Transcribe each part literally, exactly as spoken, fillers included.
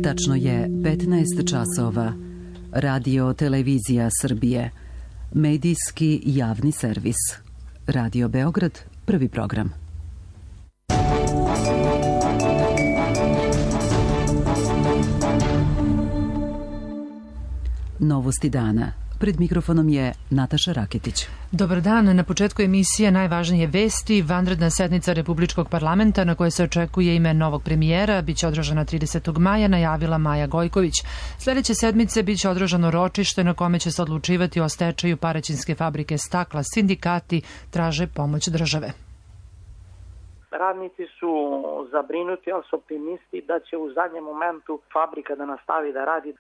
Tačno je petnaest časova. Radio Televizija Srbije. Medijski javni servis. Radio Beograd, prvi program. Novosti dana. Pred mikrofonom je Nataša Raketić. Dobar dan. Na početku emisije najvažnije vesti. Vanredna sednica Republičkog parlamenta na kojoj se očekuje ime novog premijera biće održana tridesetog maja, najavila Maja Gojković. Sljedeće sedmice biće održano ročište na kome će se odlučivati o stečaju Paraćinske fabrike stakla. Sindikati traže pomoć države. Radnici su zabrinuti, ali su optimisti da će u zadnjem momentu fabrika da nastavi da radi.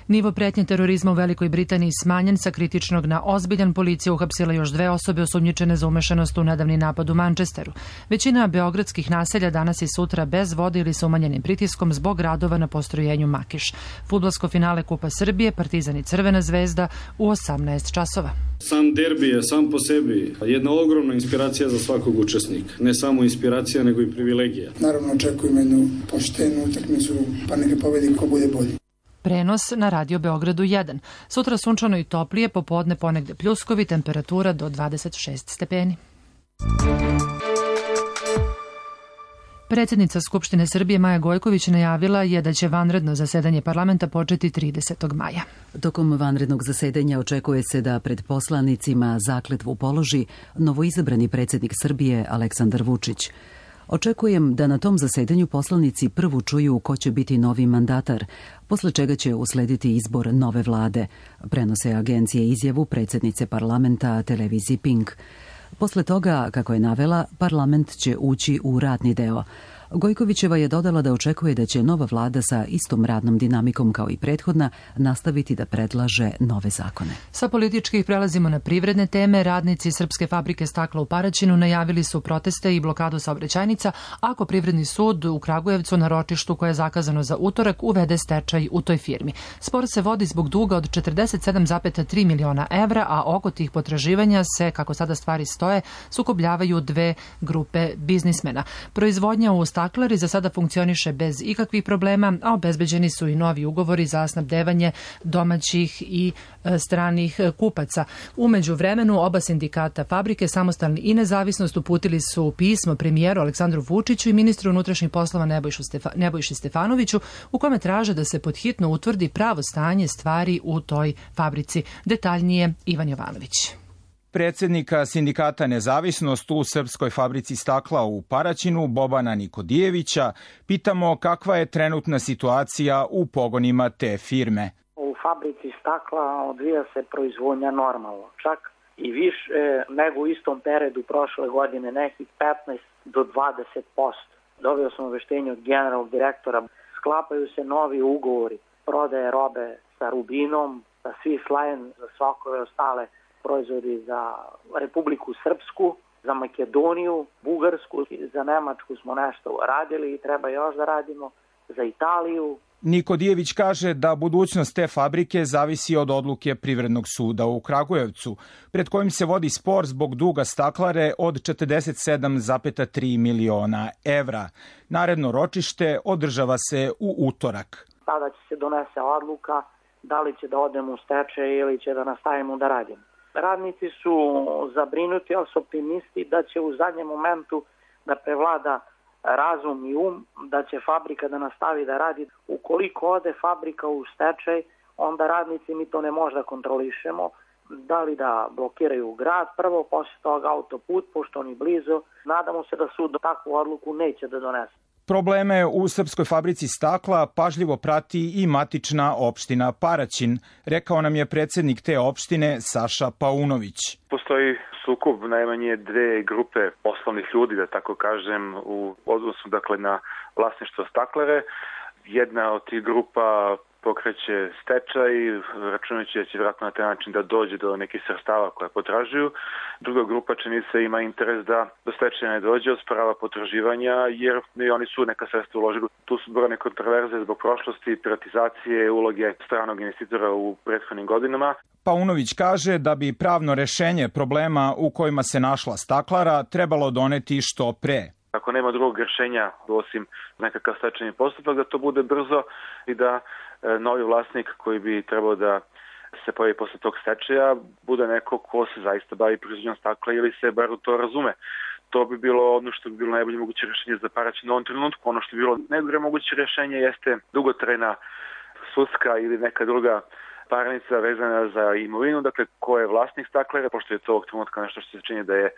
Nivo pretnje terorizma u Velikoj Britaniji smanjen sa kritičnog na ozbiljan. Policija uhapsila još dve osobe osumnjičene za umešanost u nedavni napad u Manchesteru. Većina beogradskih naselja danas i sutra bez vode ili sa umanjenim pritiskom zbog radova na postrojenju Makiš. Fudbalsko finale Kupa Srbije, Partizan i Crvena zvezda u osamnaest časova. Sam derbi je sam po sebi jedna ogromna inspiracija za svakog učesnika. Ne samo inspiracija, nego i privilegija. Naravno očekujemo jednu poštenu utakmicu, pa neka pobedi ko bude bolji. Prenos na Radio Beogradu jedan. Sutra sunčano i toplije, popodne ponegde pljuskovi, temperatura do dvadeset šest stepeni. Predsjednica Skupštine Srbije Maja Gojković najavila je da će vanredno zasedanje parlamenta početi tridesetog maja. Tokom vanrednog zasedanja očekuje se da pred poslanicima zakletvu položi novoizabrani predsjednik Srbije Aleksandar Vučić. Očekujem da na tom zasedanju poslanici prvo čuju ko će biti novi mandatar, posle čega će uslediti izbor nove vlade, prenose agencije izjavu predsjednice parlamenta televiziji Pink. Posle toga, kako je navela, parlament će ući u radni deo. Gojkovićeva je dodala da očekuje da će nova vlada sa istom radnom dinamikom kao i prethodna nastaviti da predlaže nove zakone. Sa političkih prelazimo na privredne teme. Radnici Srpske fabrike stakla u Paraćinu najavili su proteste i blokadu saobraćajnica ako Privredni sud u Kragujevcu na ročištu koje je zakazano za utorak uvede stečaj u toj firmi. Spor se vodi zbog duga od četrdeset sedam zarez tri miliona evra, a oko tih potraživanja se, kako sada stvari stoje, sukobljavaju dve grupe biznismena. Proizvodnja u staklari za sada funkcioniše bez ikakvih problema, a obezbeđeni su i novi ugovori za snabdevanje domaćih i e, stranih kupaca. U međuvremenu oba sindikata fabrike, Samostalni i Nezavisnost, uputili su pismo premijeru Aleksandru Vučiću i ministru unutrašnjih poslova Nebojšu Stefa, Nebojši Stefanoviću, u kome traže da se podhitno utvrdi pravo stanje stvari u toj fabrici. Detaljnije Ivan Jovanović. Predsjednika sindikata Nezavisnost u Srpskoj fabrici stakla u Paraćinu, Bobana Nikodijevića, pitamo kakva je trenutna situacija u pogonima te firme. U fabrici stakla odvija se proizvodnja normalno, čak i više nego u istom periodu prošle godine, nekih petnaest do dvadeset posto. Dobio sam obaveštenje od generalnog direktora, sklapaju se novi ugovori, prodaje robe sa Rubinom, sa Swiss Line, za svakove ostale proizvodi za Republiku Srpsku, za Makedoniju, Bugarsku, za Nemačku smo nešto radili i treba još da radimo, za Italiju. Nikodijević kaže da budućnost te fabrike zavisi od odluke Privrednog suda u Kragujevcu, pred kojim se vodi spor zbog duga staklare od četrdeset sedam zarez tri miliona evra. Naredno ročište održava se u utorak. Tada će se donese odluka da li će da odemo u stečaj ili će da nastavimo da radimo. Radnici su zabrinuti, ali su optimisti da će u zadnjem momentu da prevlada razum i um, da će fabrika da nastavi da radi. Ukoliko ode fabrika u stečaj, onda radnici mi to ne možda kontrolišemo. Da li da blokiraju grad, prvo, poslije toga autoput, pošto oni blizu. Nadamo se da sud takvu odluku neće da donese. Probleme u Srpskoj fabrici stakla pažljivo prati i matična opština Paraćin, rekao nam je predsjednik te opštine Saša Paunović. Postoji sukob najmanje dve grupe poslovnih ljudi, da tako kažem, u odnosu dakle na vlasništvo staklare. Jedna od tih grupa pokreće stečaj, računajući da će vjerojatno na taj način da dođe do nekih sredstava koje potražuju. Druga grupa čini se ima interes da do stečaja ne dođe, osporava potraživanja, jer i oni su neka sredstva uložili. Tu su brojne kontroverze zbog prošlosti, privatizacije, uloge stranog investitora u prethodnim godinama. Paunović kaže da bi pravno rešenje problema u kojima se našla staklara trebalo doneti što pre. ako nema drugog rješenja osim nekakav stečajni postupak, da to bude brzo i da e, novi vlasnik koji bi trebao da se pojavi posle tog stečaja bude neko ko se zaista bavi proizvodnjom stakla ili se bar u to razume. To bi bilo ono što bi bilo najbolje moguće rješenje za Paraćin u ovom trenutku. Ono što bi bilo najgore moguće rješenje jeste dugotrajna sudska ili neka druga parnica vezana za imovinu, dakle ko je vlasnik staklera, pošto je to ovog trenutka nešto što se čini da je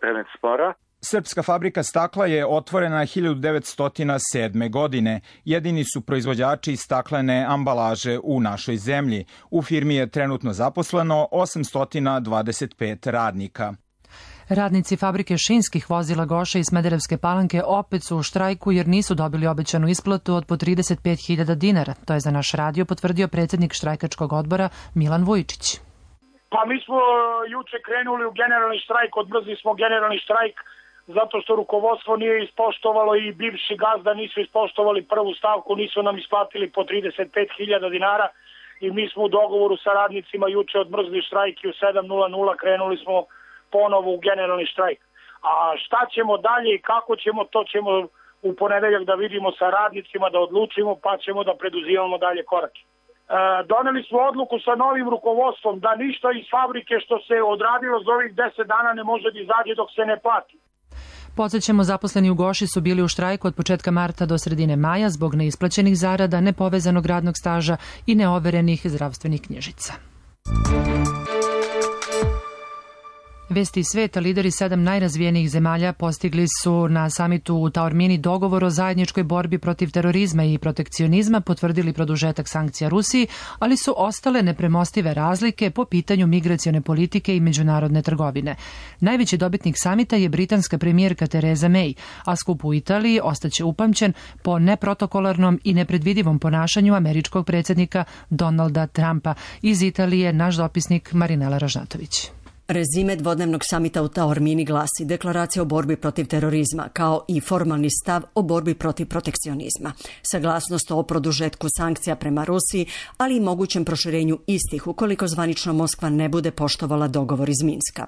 predmet spora. Srpska fabrika stakla je otvorena hiljadu devetsto sedme. godine. Jedini su proizvođači staklene ambalaže u našoj zemlji. U firmi je trenutno zaposleno osamsto dvadeset pet radnika. Radnici fabrike šinskih vozila Goša iz Smederevske Palanke opet su u štrajku jer nisu dobili obećanu isplatu od po trideset pet hiljada dinara. To je za naš radio potvrdio predsjednik štrajkačkog odbora Milan Vujičić. Pa mi smo juče krenuli u generalni štrajk, odmrzli smo generalni štrajk zato što rukovodstvo nije ispoštovalo i bivši gazda nisu ispoštovali prvu stavku, nisu nam isplatili po trideset pet hiljada dinara i mi smo u dogovoru sa radnicima juče odmrzli štrajk i u sedam krenuli smo ponovo u generalni štrajk. A šta ćemo dalje i kako ćemo, to ćemo u ponedeljak da vidimo sa radnicima, da odlučimo, pa ćemo da preduzimamo dalje korake. E, doneli smo odluku sa novim rukovodstvom da ništa iz fabrike što se odradilo za ovih deset dana ne može da izađe dok se ne plati. Podsjećamo, zaposleni u Goši su bili u štrajku od početka marta do sredine maja zbog neisplaćenih zarada, nepovezanog radnog staža i neoverenih zdravstvenih knjižica. Vesti iz sveta, lideri sedam najrazvijenijih zemalja postigli su na samitu u Taormini dogovor o zajedničkoj borbi protiv terorizma i protekcionizma, potvrdili produžetak sankcija Rusiji, ali su ostale nepremostive razlike po pitanju migracione politike i međunarodne trgovine. Najveći dobitnik samita je britanska premijerka Theresa May, a skup u Italiji ostaće upamćen po neprotokolarnom i nepredvidivom ponašanju američkog predsjednika Donalda Trumpa. Iz Italije naš dopisnik Marinela Ražnatović. Rezime dvodnevnog samita u Taormini glasi deklaracija o borbi protiv terorizma kao i formalni stav o borbi protiv protekcionizma, saglasnost o produžetku sankcija prema Rusiji, ali i mogućem proširenju istih ukoliko zvanično Moskva ne bude poštovala dogovor iz Minska.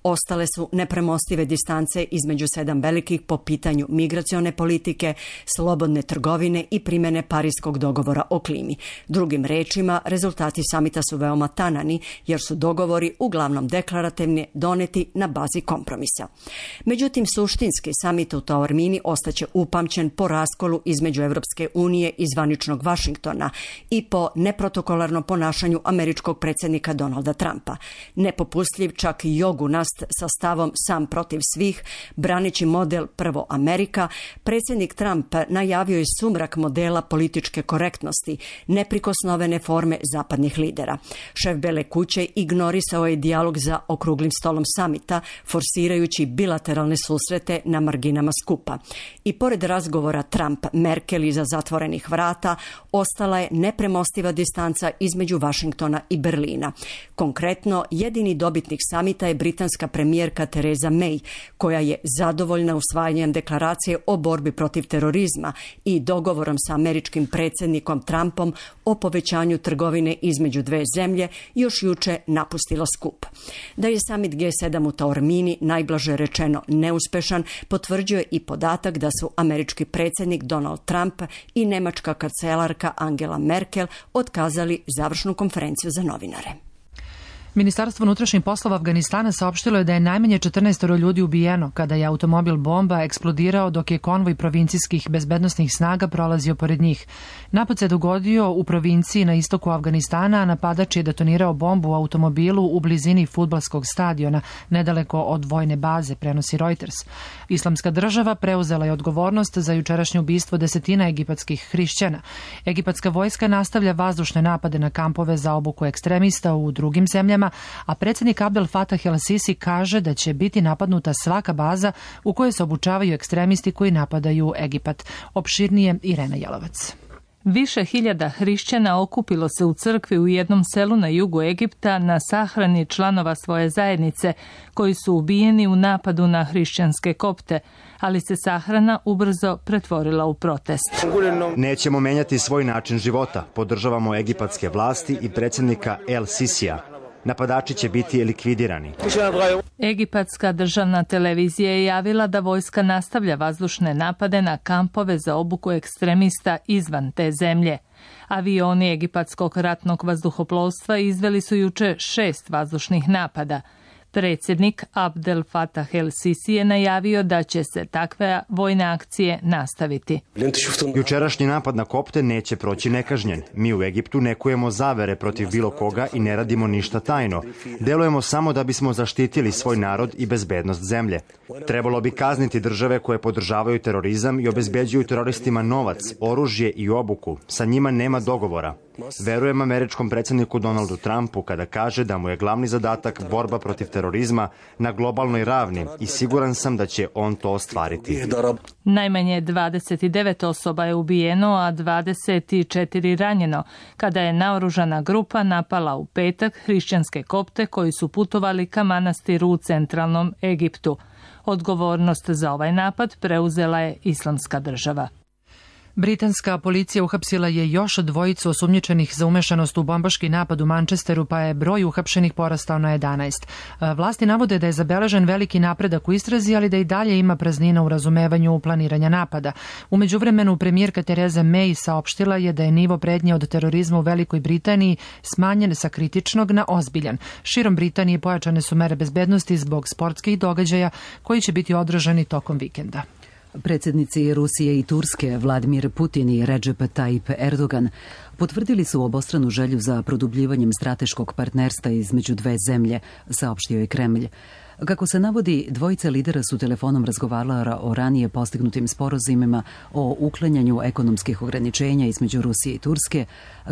Ostale su nepremostive distance između sedam velikih po pitanju migracione politike, slobodne trgovine i primjene Parijskog dogovora o klimi. Drugim rečima, rezultati samita su veoma tanani jer su dogovori uglavnom deklarativni, doneti na bazi kompromisa. Međutim, suštinski samit u Taormini ostaće upamćen po raskolu između Evropske unije i zvaničnog Vašingtona i po neprotokolarnom ponašanju američkog predsjednika Donalda Trumpa. Nepopustljiv čak i jogunast sa stavom sam protiv svih, braneći model prvo Amerika, predsjednik Trump najavio je sumrak modela političke korektnosti, neprikosnovene forme zapadnih lidera. Šef Bele kuće ignorisao je dijalog za okruglim stolom samita, forsirajući bilateralne susrete na marginama skupa. I pored razgovora Trump-Merkel iza zatvorenih vrata, ostala je nepremostiva distanca između Vašingtona i Berlina. Konkretno, jedini dobitnik samita je britanska premijerka Theresa May, koja je zadovoljna usvajanjem deklaracije o borbi protiv terorizma i dogovorom sa američkim predsjednikom Trumpom o povećanju trgovine između dve zemlje, još juče napustila skup. Da je samit G sedam u Taormini najblaže rečeno neuspešan, potvrđuje i podatak da su američki predsjednik Donald Trump i nemačka kancelarka Angela Merkel otkazali završnu konferenciju za novinare. Ministarstvo unutrašnjih poslova Afganistana saopštilo je da je najmanje četrnaest ljudi ubijeno kada je automobil bomba eksplodirao dok je konvoj provincijskih bezbednosnih snaga prolazio pored njih. Napad se dogodio u provinciji na istoku Afganistana, a napadač je detonirao bombu u automobilu u blizini fudbalskog stadiona, nedaleko od vojne baze, prenosi Reuters. Islamska država preuzela je odgovornost za jučerašnje ubistvo desetina egipatskih hrišćana. Egipatska vojska nastavlja vazdušne napade na kampove za obuku ekstremista u drugim zemljama, a predsjednik Abdel Fattah el-Sisi kaže da će biti napadnuta svaka baza u kojoj se obučavaju ekstremisti koji napadaju Egipat. Opširnije Irena Jelovac. Više hiljada hrišćana okupilo se u crkvi u jednom selu na jugu Egipta na sahrani članova svoje zajednice koji su ubijeni u napadu na hrišćanske kopte, ali se sahrana ubrzo pretvorila u protest. Nećemo menjati svoj način života. Podržavamo egipatske vlasti i predsjednika El Sisija. Napadači će biti likvidirani. Egipatska državna televizija je javila da vojska nastavlja vazdušne napade na kampove za obuku ekstremista izvan te zemlje. Avioni egipatskog ratnog vazduhoplovstva izveli su juče šest vazdušnih napada. Predsjednik Abdel Fattah el-Sisi je najavio da će se takve vojne akcije nastaviti. Jučerašnji napad na kopte neće proći nekažnjen. Mi u Egiptu ne kujemo zavere protiv bilo koga i ne radimo ništa tajno. Delujemo samo da bismo zaštitili svoj narod i bezbednost zemlje. Trebalo bi kazniti države koje podržavaju terorizam i obezbeđuju teroristima novac, oružje i obuku. Sa njima nema dogovora. Verujem američkom predsjedniku Donaldu Trumpu kada kaže da mu je glavni zadatak borba protiv terorizma na globalnoj ravni i siguran sam da će on to ostvariti. Najmanje dvadeset devet osoba je ubijeno, a dvadeset četiri ranjeno, kada je naoružana grupa napala u petak hrišćanske kopte koji su putovali ka manastiru u centralnom Egiptu. Odgovornost za ovaj napad preuzela je Islamska država. Britanska policija uhapsila je još dvojicu osumnjičenih za umešanost u bombaški napad u Manchesteru, pa je broj uhapšenih porastao na jedanaest. Vlasti navode da je zabeležen veliki napredak u istrazi, ali da i dalje ima praznina u razumevanju planiranja napada. U međuvremenu premijerka Theresa May saopštila je da je nivo pretnje od terorizma u Velikoj Britaniji smanjen sa kritičnog na ozbiljan. Širom Britanije pojačane su mere bezbednosti zbog sportskih događaja koji će biti održani tokom vikenda. Predsjednici Rusije i Turske Vladimir Putin i Recep Tayyip Erdogan potvrdili su obostranu želju za produbljivanjem strateškog partnerstva između dve zemlje, saopštio je Kremlj. Kako se navodi, dvojica lidera su telefonom razgovarala o ranije postignutim sporazumima o uklanjanju ekonomskih ograničenja između Rusije i Turske,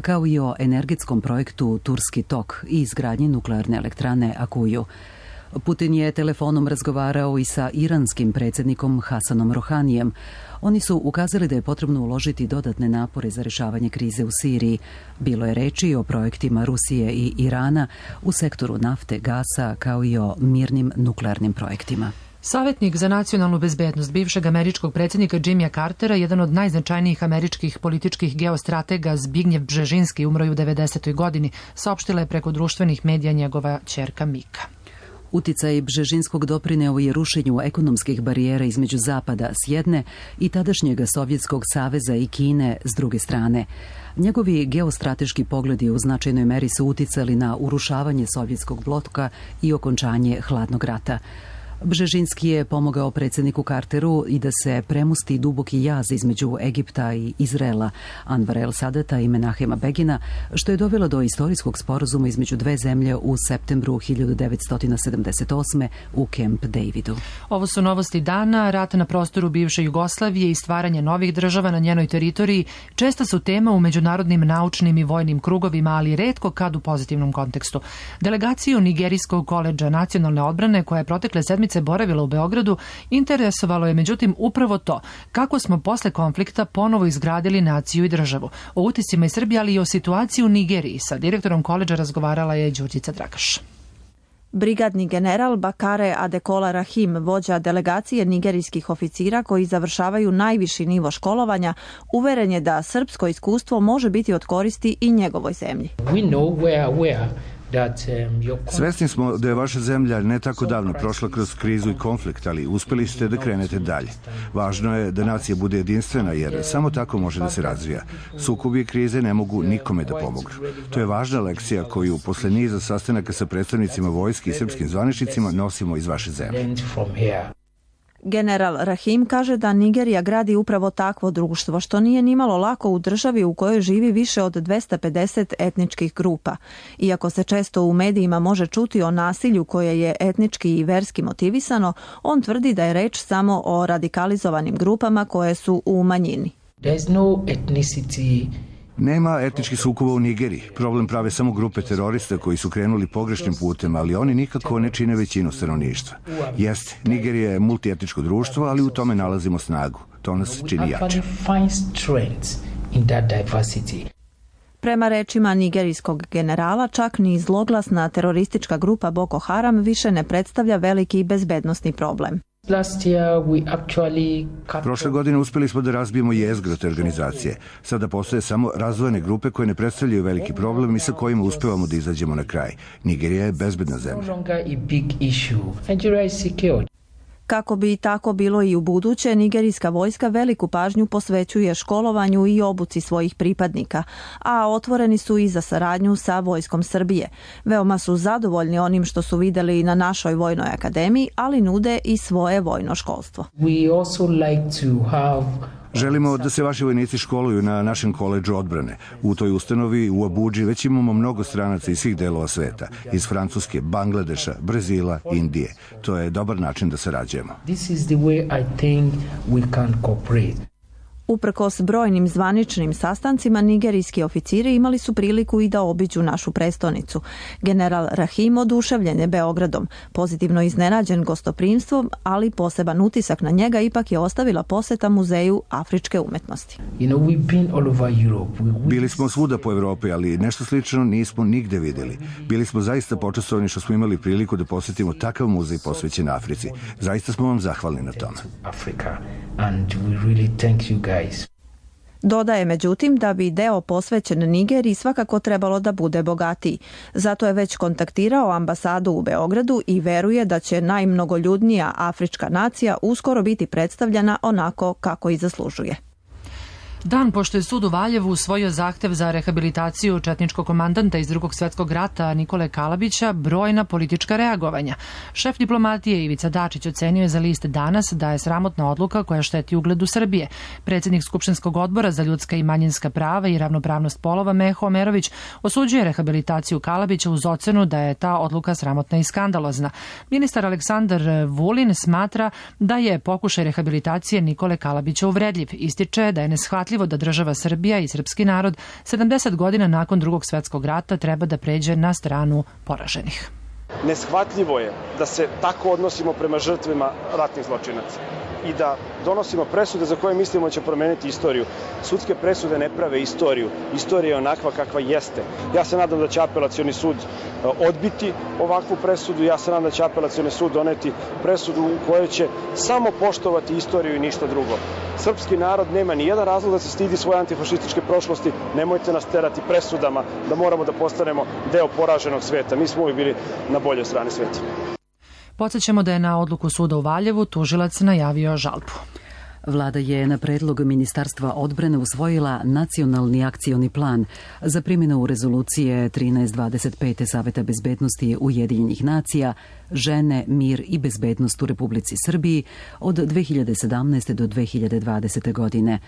kao i o energetskom projektu Turski tok i izgradnji nuklearne elektrane Akuju. Putin je telefonom razgovarao i sa iranskim predsjednikom Hasanom Rohanijem. Oni su ukazali da je potrebno uložiti dodatne napore za rješavanje krize u Siriji. Bilo je reči o projektima Rusije i Irana u sektoru nafte, gasa, kao i o mirnim nuklearnim projektima. Savjetnik za nacionalnu bezbednost bivšeg američkog predsjednika Jimmya Cartera, jedan od najznačajnijih američkih političkih geostratega Zbignjev Bžežinski, umro je u devedesetoj godini, saopštila je preko društvenih medija njegova ćerka Mika. Uticaj Bžežinskog doprineo je rušenju ekonomskih barijera između Zapada s jedne i tadašnjeg Sovjetskog saveza i Kine s druge strane. Njegovi geostrateški pogledi u značajnoj meri su uticali na urušavanje sovjetskog bloka i okončanje hladnog rata. Bžežinski je pomogao predsjedniku Carteru i da se premosti duboki jaz između Egipta i Izraela, Anvara el-Sadata i Menahema Begina, što je dovelo do istorijskog sporazuma između dve zemlje u septembru hiljadu devetsto sedamdeset osme u Camp Davidu. Ovo su novosti dana. Rat na prostoru bivše Jugoslavije i stvaranje novih država na njenoj teritoriji česta su tema u međunarodnim naučnim i vojnim krugovima, ali retko kad u pozitivnom kontekstu. Delegaciju Nigerijskog koledža nacionalne odbrane, koja je protekle sedmice boravila u Beogradu, interesovalo je međutim upravo to, kako smo posle konflikta ponovo izgradili naciju i državu. O utiscima iz Srbije, ali i o situaciji u Nigeriji sa direktorom koledža razgovarala je Đurđica Dragaš. Brigadni general Bakare Adekola Rahim, vođa delegacije nigerijskih oficira koji završavaju najviši nivo školovanja, uveren je da srpsko iskustvo može biti od koristi i njegovoj zemlji. We know where, where Svesni smo da je vaša zemlja ne tako davno prošla kroz krizu i konflikt, ali uspeli ste da krenete dalje. Važno je da nacija bude jedinstvena, jer samo tako može da se razvija. Sukobi i krize ne mogu nikome da pomognu. To je važna lekcija koju posle niza sastanaka sa predstavnicima vojske i srpskim zvaničnicima nosimo iz vaše zemlje. General Rahim kaže da Nigerija gradi upravo takvo društvo, što nije nimalo lako u državi u kojoj živi više od dvesta pedeset etničkih grupa. Iako se često u medijima može čuti o nasilju koje je etnički i verski motivisano, on tvrdi da je reč samo o radikalizovanim grupama koje su u manjini. There's no ethnicity. Nema etničkih sukoba u Nigeriji. Problem prave samo grupe terorista koji su krenuli pogrešnim putem, ali oni nikako ne čine većinu stanovništva. Jeste, Nigerija je multietničko društvo, ali u tome nalazimo snagu. To nas čini jače. Prema rečima nigerijskog generala, čak ni zloglasna teroristička grupa Boko Haram više ne predstavlja veliki bezbednosni problem. Prošle godine uspeli smo da razbijemo jezgro te organizacije. Sada postoje samo razdvojene grupe koje ne predstavljaju veliki problem i sa kojima uspevamo da izađemo na kraj. Nigerija je bezbedna zemlja. Kako bi tako bilo i u buduće, nigerijska vojska veliku pažnju posvećuje školovanju i obuci svojih pripadnika, a otvoreni su i za saradnju sa Vojskom Srbije. Veoma su zadovoljni onim što su videli na našoj vojnoj akademiji, ali nude i svoje vojno školstvo. Želimo da se vaši vojnici školuju na našem koledžu odbrane. U toj ustanovi u Abudži već imamo mnogo stranaca iz svih delova sveta, iz Francuske, Bangladeša, Brazila, Indije. To je dobar način da sarađujemo. Uprkos brojnim zvaničnim sastancima, nigerijski oficiri imali su priliku i da obiđu našu prestonicu. General Rahim oduševljen je Beogradom, pozitivno iznenađen gostoprimstvom, ali poseban utisak na njega ipak je ostavila poseta Muzeju afričke umetnosti. Bili smo svuda po Evropi, ali nešto slično nismo nigde videli. Bili smo zaista počastovani što smo imali priliku da posetimo takav muzej posvećen Africi. Zaista smo vam zahvalni na tome. Dodaje međutim da bi deo posvećen Nigeriji svakako trebalo da bude bogatiji. Zato je već kontaktirao ambasadu u Beogradu i veruje da će najmnogoljudnija afrička nacija uskoro biti predstavljena onako kako i zaslužuje. Dan pošto je sud u Valjevu usvojio zahtev za rehabilitaciju četničkog komandanta iz Drugog svjetskog rata Nikole Kalabića, brojna politička reagovanja. Šef diplomatije Ivica Dačić ocenio je za list Danas da je sramotna odluka koja šteti ugledu Srbije. Predsjednik Skupštinskog odbora za ljudska i manjinska prava i ravnopravnost polova Meho Omerović osuđuje rehabilitaciju Kalabića uz ocenu da je ta odluka sramotna i skandalozna. Ministar Aleksandar Vulin smatra da je pokušaj rehabilitacije Nikole Kalabića uvredljiv. Ističe da je neshvatljiv da država Srbija i srpski narod sedamdeset godina nakon Drugog svjetskog rata treba da pređe na stranu poraženih. Neshvatljivo je da se tako odnosimo prema žrtvima ratnih zločinaca i da donosimo presude za koje mislimo će promeniti istoriju. Sudske presude ne prave istoriju. Istorija je onakva kakva jeste. Ja se nadam da će apelacioni sud odbiti ovakvu presudu. Ja se nadam da će apelacioni sud doneti presudu u kojoj će samo poštovati istoriju i ništa drugo. Srpski narod nema ni jedan razlog da se stidi svoje antifašističke prošlosti. Nemojte nas terati presudama da moramo da postanemo deo poraženog sveta. Mi smo uvijek bili na boljoj strani sveta. Podsjećamo da je na odluku suda u Valjevu tužilac najavio žalbu. Vlada je na predlog Ministarstva odbrane usvojila nacionalni akcioni plan za primjenu rezolucije trinaest dvadeset pet Saveta bezbednosti Ujedinjenih nacija Žene, mir i bezbednost u Republici Srbiji od dve hiljade sedamnaeste do dve hiljade dvadesete godine.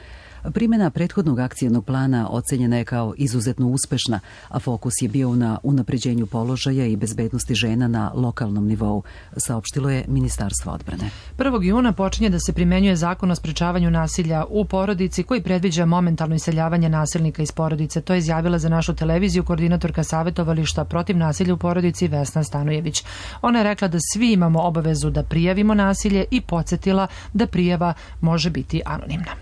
Primjena prethodnog akcionog plana ocenjena je kao izuzetno uspešna, a fokus je bio na unapređenju položaja i bezbednosti žena na lokalnom nivou, saopštilo je Ministarstvo odbrane. prvog juna počinje da se primenjuje zakon o sprečavanju nasilja u porodici koji predviđa momentalno iseljavanje nasilnika iz porodice. To je izjavila za našu televiziju koordinatorka savjetovališta protiv nasilja u porodici Vesna Stanojević. Ona je rekla da svi imamo obavezu da prijavimo nasilje i podsjetila da prijava može biti anonimna.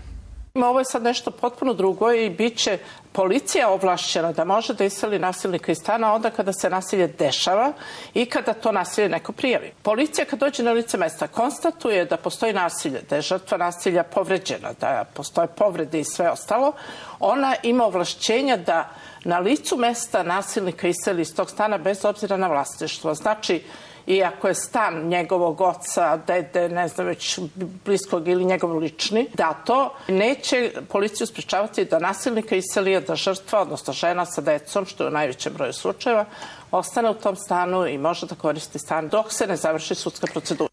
Ovo je sad nešto potpuno drugo i bit će policija ovlašćena da može da iseli nasilnika iz stana onda kada se nasilje dešava i kada to nasilje neko prijavi. Policija kad dođe na lice mesta konstatuje da postoji nasilje, da je žrtva nasilja povređena, da postoje povrede i sve ostalo, ona ima ovlašćenja da na licu mesta nasilnika iseli iz tog stana bez obzira na vlasništvo. Znači, i ako je stan njegovog oca, dede, ne znam već bliskog ili njegov lični, da to neće policiju sprečavati da nasilnika iseli, da žrtva, odnosno žena sa decom, što je u najvećem broju slučajeva, ostane u tom stanu i može da koristi stan dok se ne završi sudska procedura.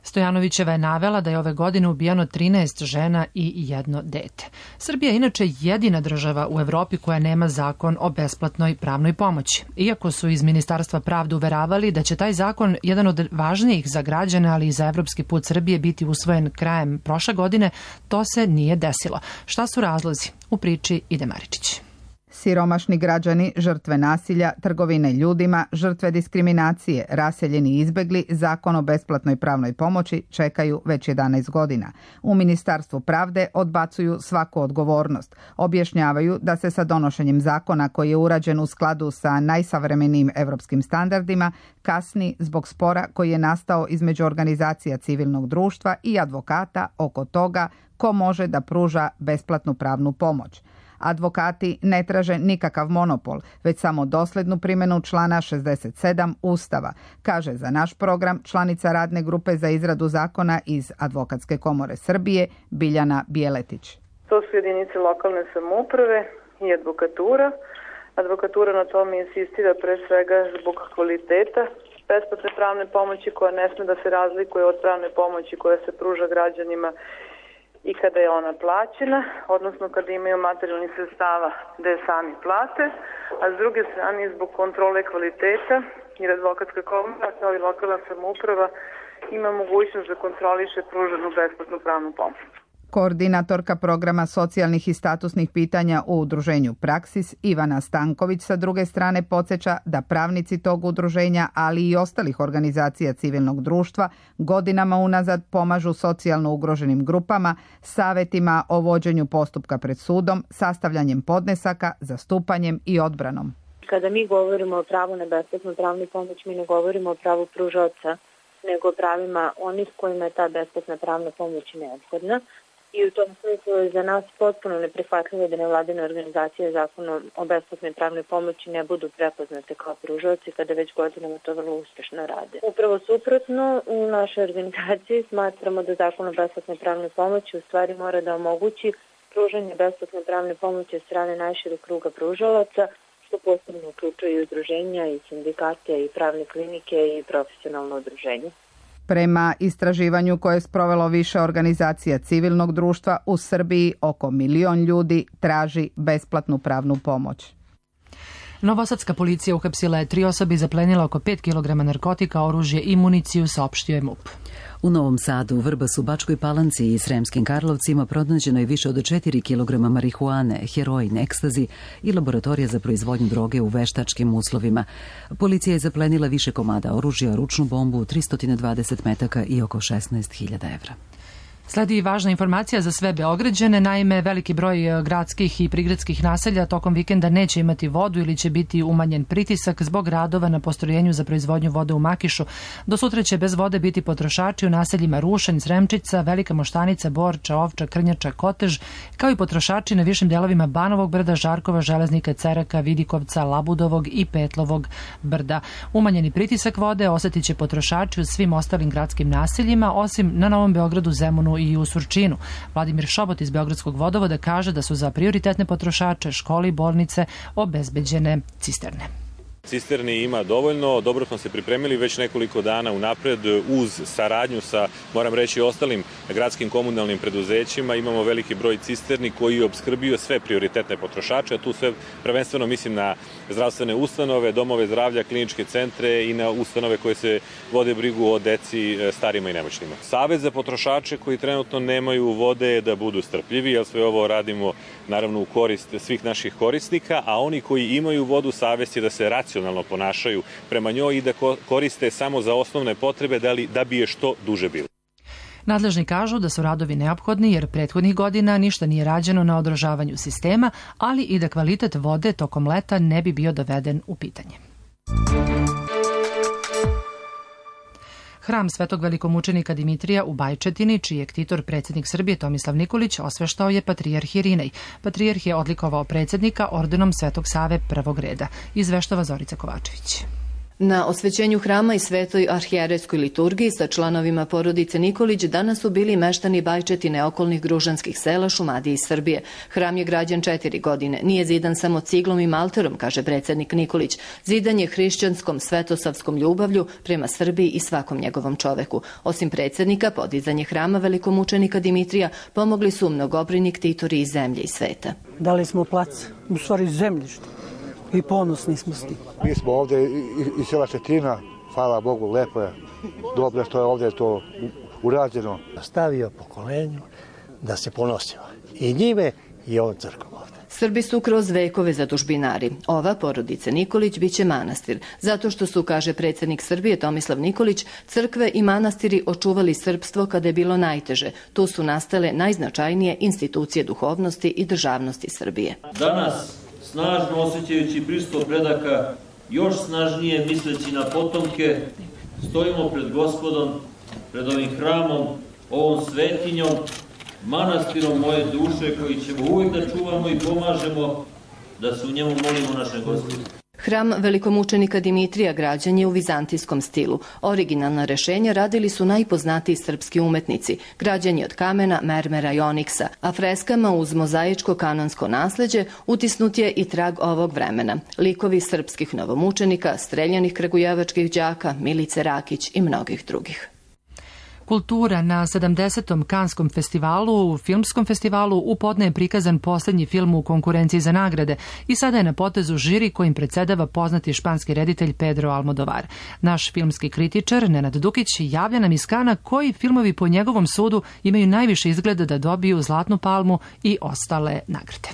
Stojanovićeva je navela da je ove godine ubijano trinaest žena i jedno dete. Srbija je inače jedina država u Evropi koja nema zakon o besplatnoj pravnoj pomoći. Iako su iz Ministarstva pravde uveravali da će taj zakon, jedan od važnijih za građane, ali i za evropski put Srbije, biti usvojen krajem prošle godine, to se nije desilo. Šta su razlozi? U priči Ide Maričić. Siromašni građani, žrtve nasilja, trgovine ljudima, žrtve diskriminacije, raseljeni i izbegli, zakon o besplatnoj pravnoj pomoći čekaju već jedanaest godina. U Ministarstvu pravde odbacuju svaku odgovornost. Objašnjavaju da se sa donošenjem zakona koji je urađen u skladu sa najsavremenijim evropskim standardima kasni zbog spora koji je nastao između organizacija civilnog društva i advokata oko toga ko može da pruža besplatnu pravnu pomoć. Advokati ne traže nikakav monopol, već samo doslednu primjenu člana šezdeset sedam Ustava, kaže za naš program članica radne grupe za izradu zakona iz Advokatske komore Srbije Biljana Bijeletić. To su jedinice lokalne samouprave i advokatura. Advokatura na tome insistira pre svega zbog kvaliteta besplatne pravne pomoći koja ne sme da se razlikuje od pravne pomoći koja se pruža građanima i kada je ona plaćena, odnosno kada imaju materijalnih sredstava da je sami plate, a s druge strane zbog kontrole kvaliteta jer Advokatska komora kao i lokalna samouprava ima mogućnost da kontroliše pruženu besplatnu pravnu pomoć. Koordinatorka programa socijalnih i statusnih pitanja u udruženju Praksis, Ivana Stanković, sa druge strane podsjeća da pravnici tog udruženja, ali i ostalih organizacija civilnog društva, godinama unazad pomažu socijalno ugroženim grupama, savjetima o vođenju postupka pred sudom, sastavljanjem podnesaka, zastupanjem i odbranom. Kada mi govorimo o pravu na besplatnu pravnu pomoć, mi ne govorimo o pravu pružaoca, nego o pravima onih kojima je ta besplatna pravna pomoć neophodna. I u tom smislu je za nas potpuno neprihvatljivo da nevladine organizacije zakonom o besplatnoj pravnoj pomoći ne budu prepoznate kao pružaoci kada već godinama to vrlo uspešno rade. Upravo suprotno, u našoj organizaciji smatramo da zakon o besplatnoj pravnoj pomoći u stvari mora da omogući pružanje besplatne pravne pomoći od strane najšireg kruga pružalaca, što posebno uključuje i udruženja i sindikate i pravne klinike i profesionalno udruženje. Prema istraživanju koje je sprovelo više organizacija civilnog društva, u Srbiji oko milion ljudi traži besplatnu pravnu pomoć. Novosadska policija uhapsila je tri osobe i zaplenila oko pet kilograma narkotika, oružje i municiju, saopštio je MUP. U Novom Sadu, Vrbasu, Bačkoj Palanci i Sremskim Karlovcima pronađeno je više od četiri kilograma marihuane, heroin, ekstazi i laboratorija za proizvodnju droge u veštačkim uslovima. Policija je zaplenila više komada oružja, ručnu bombu, tristo dvadeset metaka i oko šesnaest hiljada evra. Sledi važna informacija za sve Beograđane, naime veliki broj gradskih i prigradskih naselja tokom vikenda neće imati vodu ili će biti umanjen pritisak zbog radova na postrojenju za proizvodnju vode u Makišu. Do sutra će bez vode biti potrošači u naseljima Rušanj, Sremčica, Velika Moštanica, Borča, Ovča, Krnjača, Kotež, kao i potrošači na višim delovima Banovog brda, Žarkova, Železnika, Ceraka, Vidikovca, Labudovog i Petlovog brda. Umanjeni pritisak vode osetit će potrošači u svim ostalim gradskim naseljima, osim na Novom Beogradu, Zemunu i u Surčinu. Vladimir Šobot iz Beogradskog vodovoda kaže da su za prioritetne potrošače, škole i bolnice obezbeđene cisterne. Cisterni ima dovoljno, dobro smo se pripremili već nekoliko dana unapred uz saradnju sa, moram reći, ostalim gradskim komunalnim preduzećima. Imamo veliki broj cisterni koji opskrbio sve prioritetne potrošače, a tu sve prvenstveno mislim na zdravstvene ustanove, domove zdravlja, kliničke centre i na ustanove koje se vode brigu o deci, starima i nemoćnima. Savet za potrošače koji trenutno nemaju vode je da budu strpljivi, jer sve ovo radimo naravno u korist svih naših korisnika, a oni koji imaju vodu, savest je da se racionalno ponašaju prema njoj i da koriste samo za osnovne potrebe da, li, da bi je što duže bilo. Nadležni kažu da su radovi neophodni jer prethodnih godina ništa nije rađeno na održavanju sistema, ali i da kvalitet vode tokom leta ne bi bio doveden u pitanje. Hram Svetog velikomučenika Dimitrija u Bajčetini, čiji je ktitor predsjednik Srbije Tomislav Nikolić, osveštao je patrijarh Irinej. Patrijarh je odlikovao predsjednika ordenom Svetog Save prvog reda. Izveštava Zorica Kovačević. Na osvećenju hrama i svetoj arhijerejskoj liturgiji sa članovima porodice Nikolić danas su bili meštani Bajčetine, okolnih gružanskih sela, Šumadije i Srbije. Hram je građen četiri godine. Nije zidan samo ciglom i malterom, kaže predsjednik Nikolić. Zidan je hrišćanskom svetosavskom ljubavlju prema Srbiji i svakom njegovom čoveku. Osim predsjednika, podizanje hrama velikomučenika Dimitrija pomogli su mnogobrojni ktitori iz zemlje i sveta. Dali smo plac, u stvari zemljište. I ponosni smo s tim. Mi smo ovdje iz sela Četina, hvala Bogu, lepo je, dobro što je ovdje to urađeno. Stavio pokolenju da se ponosimo i njime i ovom crkvom ovde. Srbi su kroz vekove zadužbinari. Ova porodica Nikolić biće manastir, zato što su, kaže predsjednik Srbije Tomislav Nikolić, crkve i manastiri očuvali srpstvo kada je bilo najteže. Tu su nastale najznačajnije institucije duhovnosti i državnosti Srbije. Danas, snažno osjećajući prisustvo predaka, još snažnije misleći na potomke, stojimo pred Gospodom, pred ovim hramom, ovom svetinjom, manastirom moje duše koji ćemo uvijek da čuvamo i pomažemo, da se u njemu molimo našem Gospodu. Hram velikomučenika Dimitrija građen je u vizantijskom stilu. Originalna rešenja radili su najpoznatiji srpski umetnici. Građen je od kamena, mermera i oniksa, a freskama uz mozaičko kanonsko nasleđe utisnut je i trag ovog vremena. Likovi srpskih novomučenika, streljanih kragujevačkih đaka, Milice Rakić i mnogih drugih. Kultura na sedamdesetom Kanskom festivalu, filmskom festivalu, u podne je prikazan posljednji film u konkurenciji za nagrade i sada je na potezu žiri kojim predsedava poznati španski reditelj Pedro Almodovar. Naš filmski kritičar Nenad Dukić javlja nam iz Kana koji filmovi po njegovom sudu imaju najviše izgleda da dobiju Zlatnu palmu i ostale nagrade.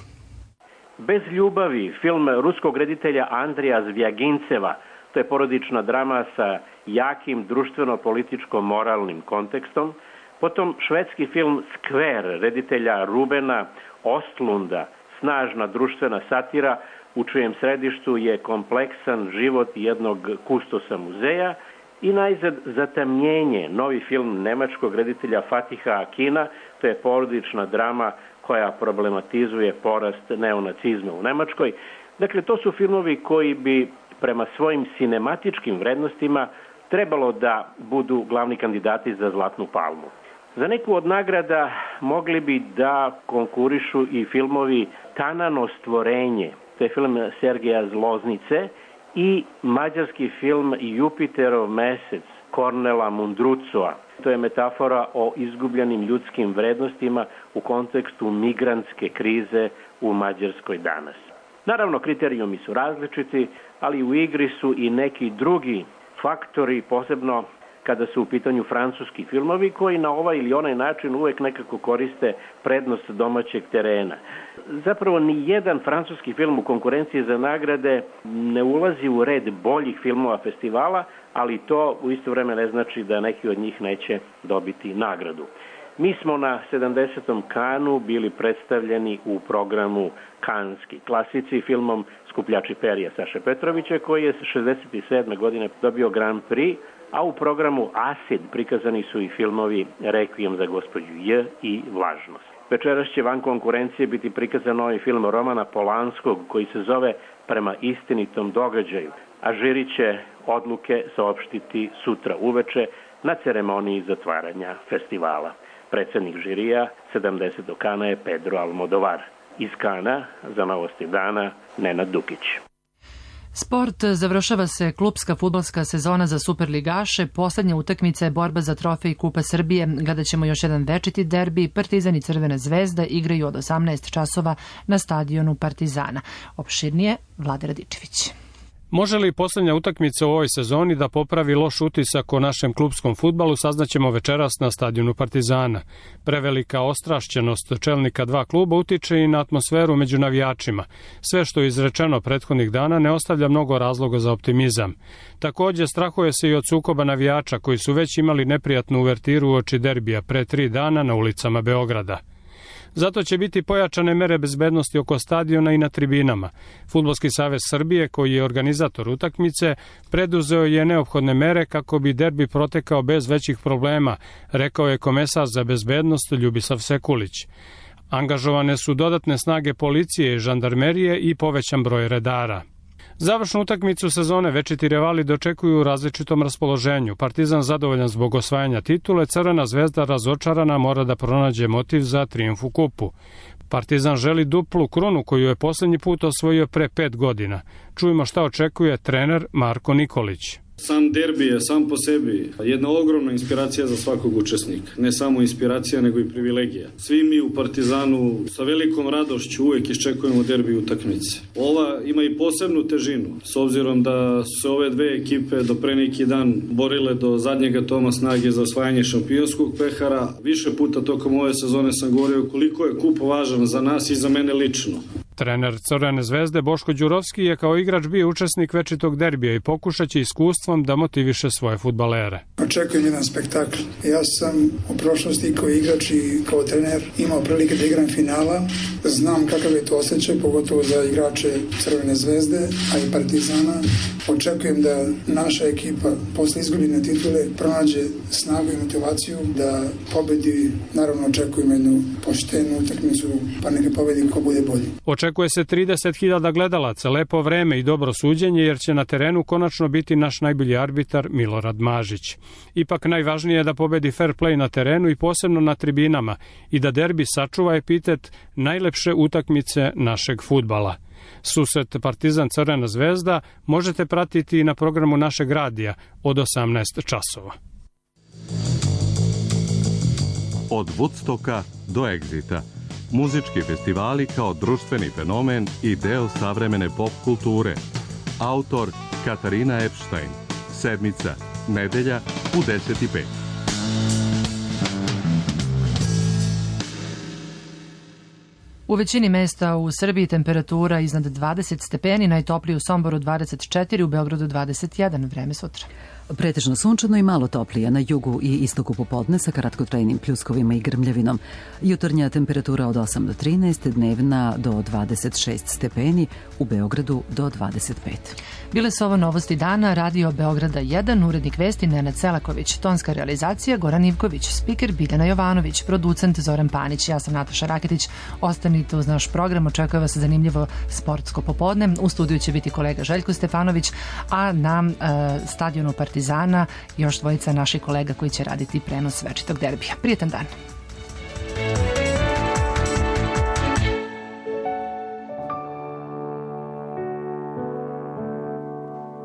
Bez ljubavi, film ruskog reditelja Andrija Zvjaginceva. To je porodična drama sa jakim društveno-političko-moralnim kontekstom. Potom švedski film Skver reditelja Rubena Ostlunda, snažna društvena satira u čijem središtu je kompleksan život jednog kustosa muzeja. I najzad Zatamnjenje, novi film nemačkog reditelja Fatiha Akina, to je porodična drama koja problematizuje porast neonacizma u Nemačkoj. Dakle, to su filmovi koji bi prema svojim sinematičkim vrednostima trebalo da budu glavni kandidati za Zlatnu palmu. Za neku od nagrada mogli bi da konkurišu i filmovi Tanano stvorenje, to je film Sergeja Zloznice, i mađarski film Jupiterov mesec Kornela Mundrucoa. To je metafora o izgubljenim ljudskim vrednostima u kontekstu migrantske krize u Mađarskoj danas. Naravno, kriterijumi su različiti, ali u igri su i neki drugi faktori, posebno kada su u pitanju francuski filmovi koji na ovaj ili onaj način uvek nekako koriste prednost domaćeg terena. Zapravo ni jedan francuski film u konkurenciji za nagrade ne ulazi u red boljih filmova festivala, ali to u isto vreme ne znači da neki od njih neće dobiti nagradu. Mi smo na sedamdesetom Kanu bili predstavljeni u programu Kanski klasici filmom Skupljači perja Saše Petrovića koji je šezdeset sedme godine dobio Grand Prix, a u programu Acid prikazani su i filmovi Requiem za gospođu J i Vlažnost. Večeras će van konkurencije biti prikazan novi film Romana Polanskog koji se zove Prema istinitom događaju, a žiri će odluke saopštiti sutra uveče na ceremoniji zatvaranja festivala. Predsednik žirija sedamdesetog Kana je Pedro Almodovar. Iz Kana za Novosti dana Nenad Dukić. Sport, završava se klupska fudbalska sezona za superligaše, poslednja utakmica je borba za trofej Kupa Srbije, gledat ćemo još jedan večiti derbi, Partizan i Crvena zvezda igraju od osamnaest časova na stadionu Partizana. Opširnije Vlade Radičević. Može li poslednja utakmica u ovoj sezoni da popravi loš utisak o našem klupskom fudbalu, saznaćemo večeras na stadionu Partizana. Prevelika ostrašćenost čelnika dva kluba utiče i na atmosferu među navijačima. Sve što je izrečeno prethodnih dana ne ostavlja mnogo razloga za optimizam. Takođe, strahuje se i od sukoba navijača koji su već imali neprijatnu uvertiru uoči derbija pre tri dana na ulicama Beograda. Zato će biti pojačane mere bezbednosti oko stadiona i na tribinama. Fudbalski savez Srbije, koji je organizator utakmice, preduzeo je neophodne mere kako bi derbi protekao bez većih problema, rekao je komesar za bezbednost Ljubisav Sekulić. Angažovane su dodatne snage policije i žandarmerije i povećan broj redara. Završnu utakmicu sezone večiti rivali dočekuju u različitom raspoloženju. Partizan zadovoljan zbog osvajanja titule, Crvena zvezda razočarana mora da pronađe motiv za trijumf u kupu. Partizan želi duplu krunu koju je poslednji put osvojio pre pet godina. Čujemo šta očekuje trener Marko Nikolić. Sam derbi je sam po sebi jedna ogromna inspiracija za svakog učesnika. Ne samo inspiracija, nego i privilegija. Svi mi u Partizanu sa velikom radošću uvek iščekujemo derbi utakmice. Ova ima i posebnu težinu, s obzirom da su se ove dve ekipe do pre neki dan borile do zadnjega toma snage za osvajanje šampionskog pehara. Više puta tokom ove sezone sam govorio koliko je kup važan za nas i za mene lično. Trener Crvene zvezde Boško Đurovski je kao igrač bio učesnik večitog derbija i pokušaće iskustvom da motiviše svoje fudbalere. Očekujem jedan spektakl. Ja sam u prošlosti kao igrač i kao trener imao prilike da igram finala. Znam kakav je to osjećaj, pogotovo za igrače Crvene zvezde, a i Partizana. Očekujem da naša ekipa posle izgubljene titule pronađe snagu i motivaciju da pobedi. Naravno očekujem jednu poštenu utakmicu, pa neka pobedi ko bude bolji. Očekuje se trideset hiljada gledalaca, lepo vreme i dobro suđenje jer će na terenu konačno biti naš najbolji arbitar Milorad Mažić. Ipak najvažnije je da pobedi fair play na terenu i posebno na tribinama i da derbi sačuva epitet najlepše utakmice našeg fudbala. Susret Partizan Crvena zvezda možete pratiti i na programu našeg radija od osamnaest časova. Od Woodstocka do Exita. Muzički festivali kao društveni fenomen i deo savremene pop kulture. Autor Katarina Epstein. Sedmica, nedelja u deset i pet. U većini mesta u Srbiji temperatura iznad dvadeset stepeni, najtoplije u Somboru dvadeset četiri, u Beogradu dvadeset jedan, vreme sutra. Pretežno sunčano i malo toplije na jugu i istoku popodne sa kratkotrajnim pljuskovima i grmljavinom. Jutarnja temperatura od osam do trinaest, dnevna do dvadeset šest stepeni, u Beogradu do dvadeset pet. Bile su ovo novosti dana, Radio Beograda jedan, urednik vesti Nenad Selaković, tonska realizacija Goran Ivković, spiker Biljana Jovanović, producent Zoran Panić, ja sam Nataša Raketić. Ostanite uz naš program, očekuje vas zanimljivo sportsko popodne. U studiju će biti kolega Željko Stefanović, a na e, stadionu Partizana još dvojica naših kolega koji će raditi prenos večitog derbija. Prijetan dan.